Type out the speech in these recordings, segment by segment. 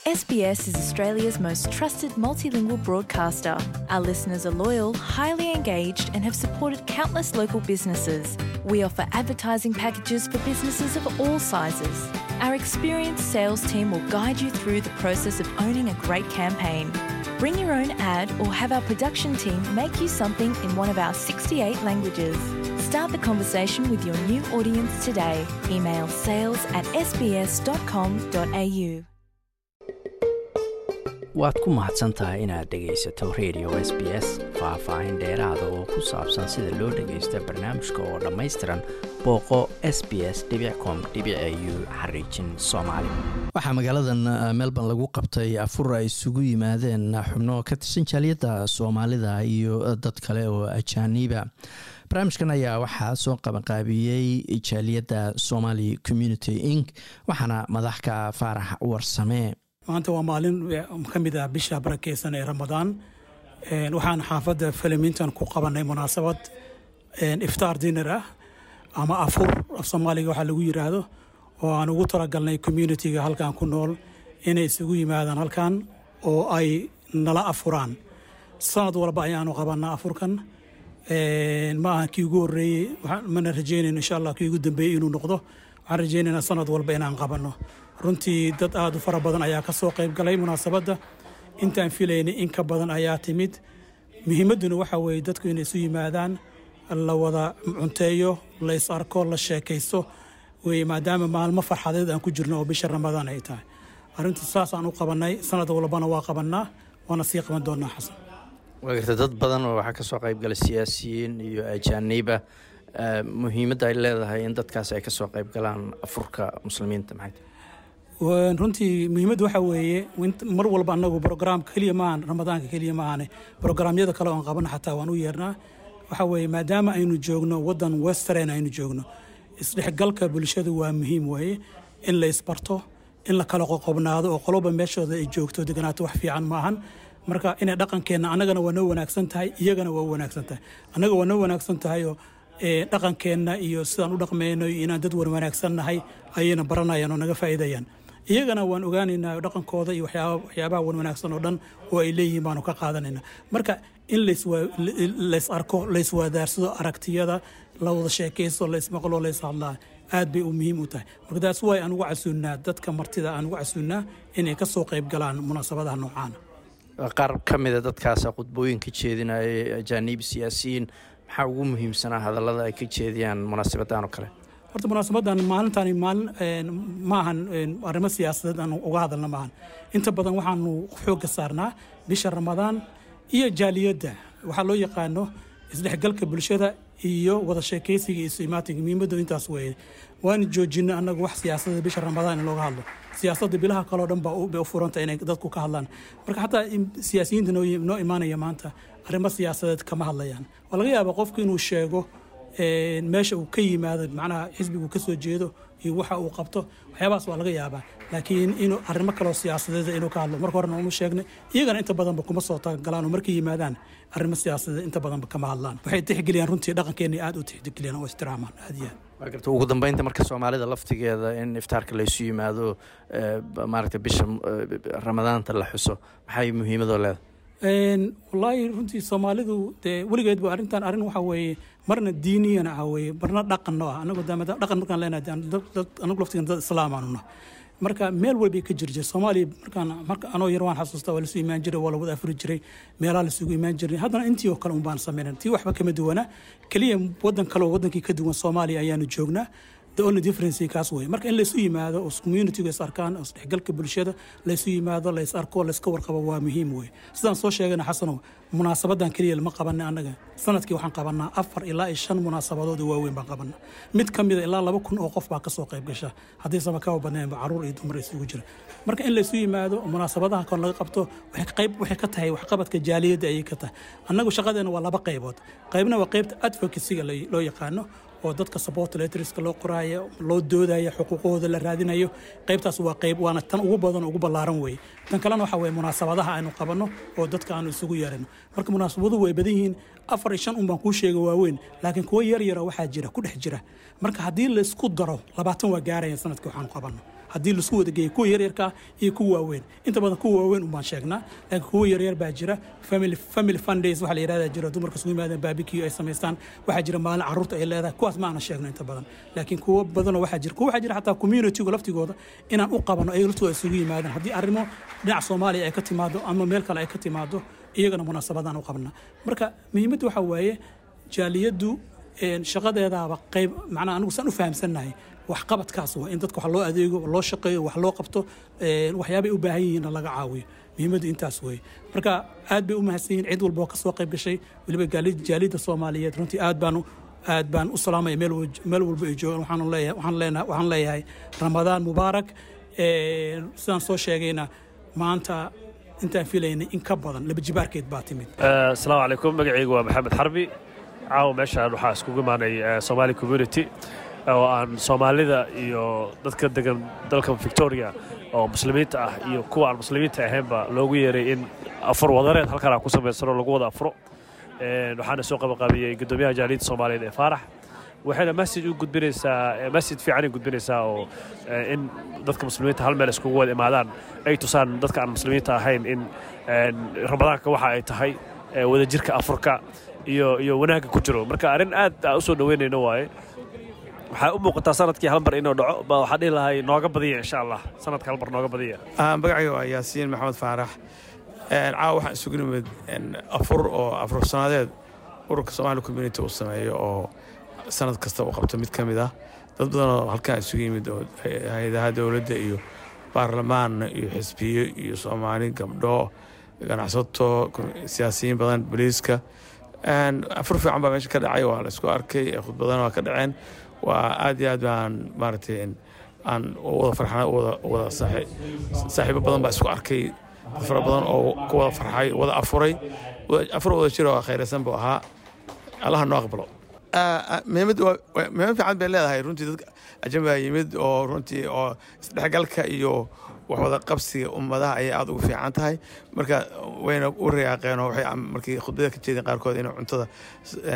SBS is Australia's most trusted multilingual broadcaster. Our listeners are loyal, highly engaged, and have supported countless local businesses. We offer advertising packages for businesses of all sizes. Our experienced sales team will guide you through the process of owning a great campaign. Bring your own ad or have our production team make you something in one of our 68 languages. Start the conversation with your new audience today. Email sales@sbs.com.au. Waad ku mahadsan tahay inaad dhegaysato Radio SBS. Faah-faahin dheeraada oo ku saabsan sida loo dhagaysto barnaamijka oo dhammaystiran, booqo sbs.com.au/soomaali. Waxaa magaaladan Melbourne lagu qabtay afur ay isugu yimaadeen xubno ka tirsan jaaliyadda Soomaalida iyo dad kale oo ajaaniiba. Barnaamijkan ayaa waxaa soo qabanqaabiyey jaaliyadda Somali Community Inc, waxaana madaxka Faarax Warsame. Maanta waa maalin ka mid ah bisha barakeysan ee Ramadaan. Waxaan xaafadda Flemington ku qabanay munaasabad iftaar dinner ah ama afur af Soomaaliga waxaa lagu yiraahdo, oo aan ugu talagalnay communityga halkan ku nool inay isugu yimaadaan halkan oo ay nala afuraan. Sanad walba ayaanu qabanaa afurkan. Ma aha kii ugu horreeyey, mana rajeynayno, insha Allah, kii ugu dambeeyey inuu noqdo. Waxaan rajeynaynaa sanad walba inaan qabanno. Runtii dad aada u fara badan ayaa ka soo qayb galay munaasabadda. Intaan filaynay in ka badan ayaa timid. Muhiimadduna waxa weeye dadku inay isu yimaadaan, la wada cunteeyo, la is arko, la sheekaysto weye, maadaama maalmo farxadeed aan ku jirno oo bisha Ramadaan ay tahay. Arrintu saasaan u qabannay. Sanad walbana waa qabannaa, waana sii qaban doonaa, Xasan. Waa garta, dad badan oo waxaa kasoo qayb galay siyaasiyiin iyo ajaaniiba. Muhiimadda ay leedahay in dadkaas ay kasoo qayb galaan afurka muslimiinta maxay tahay? Runtii muhiimadda waxaa weeye, mar walba annagu program keliya maahan, Ramadaanka keliya maahane, programyada kale oon qabano xataa waan u yeernaa. Waxaa weeye, maadaama aynu joogno waddan western aynu joogno, isdhexgalka bulshadu waa muhiim weeye. In la isbarto, in la kala qoqobnaado oo qoloba meeshooda ay joogto deganaato, wax fiican maahan. Marka inay dhaqankeenna annagana waa noo wanaagsan tahay, iyagana waa wanaagsan tahay. Annaga waa noo wanaagsan tahay oo dhaqankeenna iyo sidaan u dhaqmeyno iyo inaan dad wanaagsan nahay ayayna baranayaan oo naga faa'iidayaan. Iyagana waan ogaanaynaa dhaqankooda iyo waxyaabaha wan wanaagsan oo dhan oo ay leeyihiin baanu ka qaadanayna. Marka in lays arko, layswaadaarsado aragtiyada, la wada sheekaysto, laysmaqlo, lays hadlaa, aad bay u muhiim u tahay. Marka taas waay aan ugu casuunnaa dadka martida, aan ugu casuunnaa inay ka soo qayb galaan munaasabadaha noocaana. Qaar ka mida dadkaasa khudbooyin ka jeedinaya, ajaaniib, siyaasiyiin. Maxaa ugu muhiimsanaa hadallada ay ka jeediyaan munaasabadan oo kale? Horta munaasabadan maalintani maalin maahan arrimo siyaasadeed aan uga hadalna maahan. Inta badan waxaanu xoogga saarnaa bisha Ramadaan iyo jaaliyadda, waxaa loo yaqaano isdhexgalka bulshada iyo wada sheekaysiga iyo isu-imaatinka. Muhiimaddu intaas weeye. Waanu joojinay annagu wax siyaasadda bisha Ramadaan in looga hadlo. Siyaasadda bilaha kaleo dhan baa bay u furanta inay dadku ka hadlaan. Marka xataa siyaasiyiinta noo imaanaya maanta arrimo siyaasadeed kama hadlayaan. Waa laga yaabaa qofku inuu sheego meesha uu ka yimaado, macnaha xisbigu ka soo jeedo iyo waxa uu qabto, waxyaabahaas waa laga yaabaa, laakiin inuu arrimo kaloo siyaasadeed inuu ka hadlo marka horena uma sheegnay. Iyagana inta badanba kuma soo tagalaan oo markay yimaadaan arrimo siyaasadeed inta badanba kama hadlaan. Waxay tixgeliyaan runtii dhaqankeena, aad u tixgeliyaan oo ixtiraamaan aad iyo aad. Waa garta. Ugu dambeynta, marka Soomaalida laftigeeda in iftaarka laysu yimaado, maaragtay, bisha Ramadaanta la xuso, maxay muhiimadoo leedahay? Wallaahi runtii Soomaalidu dee weligeed ba arrintan arrin waxa weeye marna diiniyana ah weeye, marna dhaqanno ah. Anagu dhaqan markaan leenahay, anagu laftigan dad Islaam aanu nahay. Marka meel walbay ka jir jir Soomaaliya. Markaan marka anoo yar waan xasuustaa, waa lasu imaan jiray, waa la wada afuri jiray, meelaha lasugu imaan jiray. Haddana intii oo kale un baan samaynan, tii waxba kama duwana. Keliya waddan kale oo waddankii ka duwan Soomaaliya ayaanu joognaa. The only difference kaas wey. Marka in laysu yimaado oo communityga is arkaan oo isdhexgalka bulshada laysu yimaado, lays arko, layska warqabo, waa muhiim wey. Sidaan soo sheegana, Xasanow, munaasabadan keliya lama qabanay annaga. Sanadkii waxaan qabanaa afar ilaa iyo shan munaasabadood oo waaweyn baan qabanaa. Mid ka mida ilaa 2000 oo qof baa kasoo qayb gasha, haddiisaba kaba badnaynba, caruur iyo dumar isugu jira. Marka in laysu yimaado, munaasabadaha kon laga qabto, waxay qayb waxay ka tahay waxqabadka jaaliyadda ayay ka tahay. Annagu shaqadeena waa laba qaybood. Qaybna waa qaybta advocacyga loo yaqaano, oo dadka support letterska loo qoraayo, loo doodayo, xuquuqahooda la raadinayo. Qaybtaas waa qayb, waana tan ugu badan, ugu ballaaran weeye. Tan kalena waxa weeye munaasabadaha aynu qabanno oo dadka aanu isugu yeerano. Marka munaasabaduhu way badan yihiin. Afar iyo shan un baan kuu sheega waaweyn, laakiin kuwo yar yara waxaa jira ku dhex jira. Marka haddii laysku daro, 20 waa gaaraya sanadkii waxaanu qabanno. Haddii laisku wada geeyo kuwa yaryarka ah iyo kuwa waaweyn, inta badan kuwa waaweyn unbaan sheegnaa, laakiin kuwa yaryar baa jira. Family fun days waxaa la yidhahdaa jira, dumarka isugu yimaadaan, barbecue ay samaystaan. Waxaa jira maalin carruurta ay leedahay. Kuwaas ma aanan sheegno inta badan, laakiin kuwo badanoo waxaa jira, kuwa waxaa jira xataa communitygu laftigooda inaan u qabano, ayaga laftooda isugu yimaadaan. Haddii arrimo dhinaca Soomaaliya ay ka timaado ama meel kale ay ka timaado, iyagana munaasabadaan u qabnaa. Marka muhiimadda waxaa waaye jaaliyaddu shaqadeedaaba qayb, macnaha anigu saan u fahamsannahay, waxqabadkaas waa in dadka wax loo adeego, loo shaqeeyo, wax loo qabto, waxyaabay u baahan yihiinna laga caawiyo. Muhiimaddu intaas weeye. Marka aad bay u mahadsan yihiin cid walba oo ka soo qayb gashay, weliba jaaliyadda Soomaaliyeed. Runtii aad baan u salaamaya meel walba ay joogaan. Waxaan leeyahay, waxaan leenahay, waxaan leeyahay Ramadaan mubaarak. Sidaan soo sheegayna, maanta intaan filaynay in ka badan laba jibaarkeed baa timid. Asalaamu calaykum. Magacaygu waa Maxamed Xarbi. Caawa meeshaan waxaa iskugu imaanay Somali community oo aan Soomaalida iyo dadka degan dalka Victoria oo Muslimiinta ah iyo kuwa aan Muslimiinta ahaynba loogu yeeray in afur wadareed halkan aan ku samaysano, lagu wada afuro. Waxaana soo qabaqaabiyey guddoomiyaha jaaliyadda Soomaaliyeed ee Faarax. Waxayna message u gudbinaysaa, message fiican ay gudbinaysaa, oo in dadka Muslimiinta hal meel iskugu wada imaadaan, ay tusaan dadka aan Muslimiinta ahayn in Ramadaanka waxa ay tahay, wadajirka afurka iyo wanaagga ku jiro. Marka arrin aad aan u soo dhoweynayno waaye. Waxaa u muuqataa sanadkii hal mar inuu dhaco ba. Waxaa dhihi lahay nooga badiya, insha Allah, sanadka hal mar nooga badiya. Magacayga waa Yaasiin Maxamed Faarax. Caawa waxaan isugu nimid afur oo afur sanadeed ururka Somali Community uu sameeyo, oo sanad kasta uu qabto mid ka mid ah. Dad badan oo halkan isugu yimid oo hay-adaha dowladda iyo baarlamaan iyo xisbiyo iyo Soomaali, gabdho, ganacsato, siyaasiyiin badan, booliiska. Afur fiican baa meesha ka dhacay, waa la isku arkay, khudbadana waa ka dhaceen. Waa aad iyo aad baan maaragtay aan wada farxnay, wada saaxiibo badan baa isku arkay, dad fara badan oo ku wada farxay, wada afuray. Afur wada jiro oo khayraysan buu ahaa. Allaha noo aqbalo. Muhiimad muhiimad fiican bay leedahay runtii. Dadka ajnabiga yimid oo runtii oo isdhexgalka iyo wax wada qabsiga ummadaha ayay aada ugu fiican tahay. Marka wayna u riyaaqeen oo waxay markii khudbada ka jeedeen qaarkood in cuntada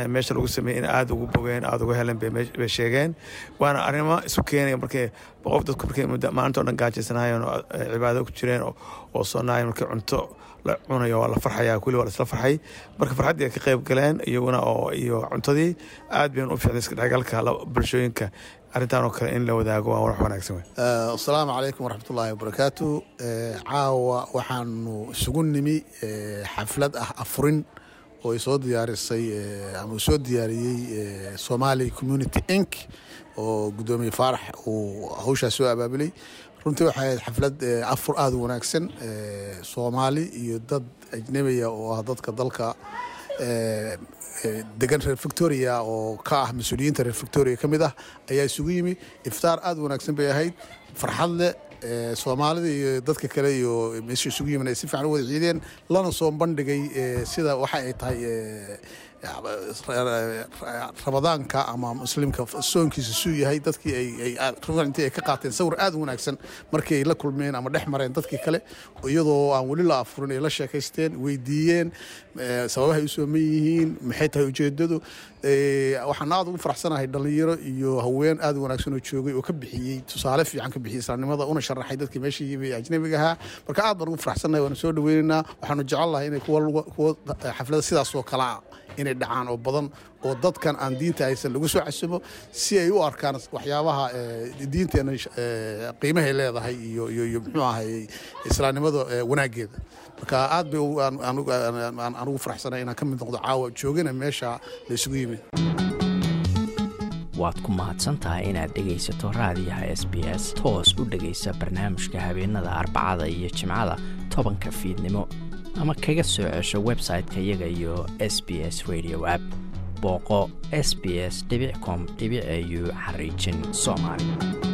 meesha lagu sameeyey in aada ugu bogeen, aada uga heleen bay sheegeen. Waana arrimo isu keenaya markay qof dadku markay muddo maalinta o dhan gaajaysanayeen oo cibaado ku jireen oo soonaayeen, markii cunto la cunayo waa la farxayaa, kulli waa la isla farxay. Marka farxaddii ay ka qayb galeen iyaguna oo iyo cuntadii aad bayna u fiicnay. Iska dhexgalka bulshooyinka arrintan oo kale in la wadaago waa wax wanaagsan wey. Asalaamu calaykum waraxmatullaahi wabarakaatu. Caawa waxaanu isugu nimi xaflad ah afurin oo ay soo diyaarisay ama uu soo diyaariyey Somali Community Inc oo guddoomiye Faarax uu hawshaas soo abaabulay. Runtii waxay ahayd xaflad afur aada u wanaagsan. Soomaali iyo dad ajnebiya oo ah dadka dalka degan reer Victoria oo ka ah mas-uuliyiinta reer Victoria ka mid ah ayaa isugu yimi. Iftaar aada u wanaagsan bay ahayd, farxad leh. Soomaalida iyo dadka kale iyo meesha isugu yimin ay si fiican u wada ciideen, lana soo bandhigay sida waxa ay tahay Ramadaanka ama Muslimka soonkiisa suu yahay. Dadkii ay runtii ay ka qaateen sawir aada u wanaagsan markii ay la kulmeen ama dhex mareen dadkii kale, iyadoo aan weli la afurin, ay la sheekaysteen, weydiiyeen sababahay u sooman yihiin, maxay tahay ujeedadu. Waxaan aada ugu faraxsanahay dhalinyaro iyo haween aada u wanaagsan oo joogay oo ka bixiyey tusaale fiican, ka bixiyey islaamnimada, una sharaxay dadkii meesha yimi ee ajnabiga ahaa. Marka aad baan ugu faraxsanahay, waanu soo dhaweynaynaa. Waxaanu jecel lahay inay kuwa xaflada sidaas oo kale ah inay dhacaan oo badan, oo dadkan aan diinta haysan lagu soo casumo si ay u arkaan waxyaabaha diinteena qiimahay leedahay iyo muxuu ahay islaamnimada wanaaggeeda. Marka aad bay aan ugu faraxsanahay inaan ka mid noqdo caawa joogana meesha la isugu yimid. Waad ku mahadsantahay inaad dhegaysato raadiyaha SBS. Toos u dhegaysa barnaamijka habeenada Arbacada iyo Jimcada 10-ka fiidnimo, ama kaga soo cesho website-ka iyaga iyo SBS Radio app. Booqo sbs.com.au xariijin Soomaali.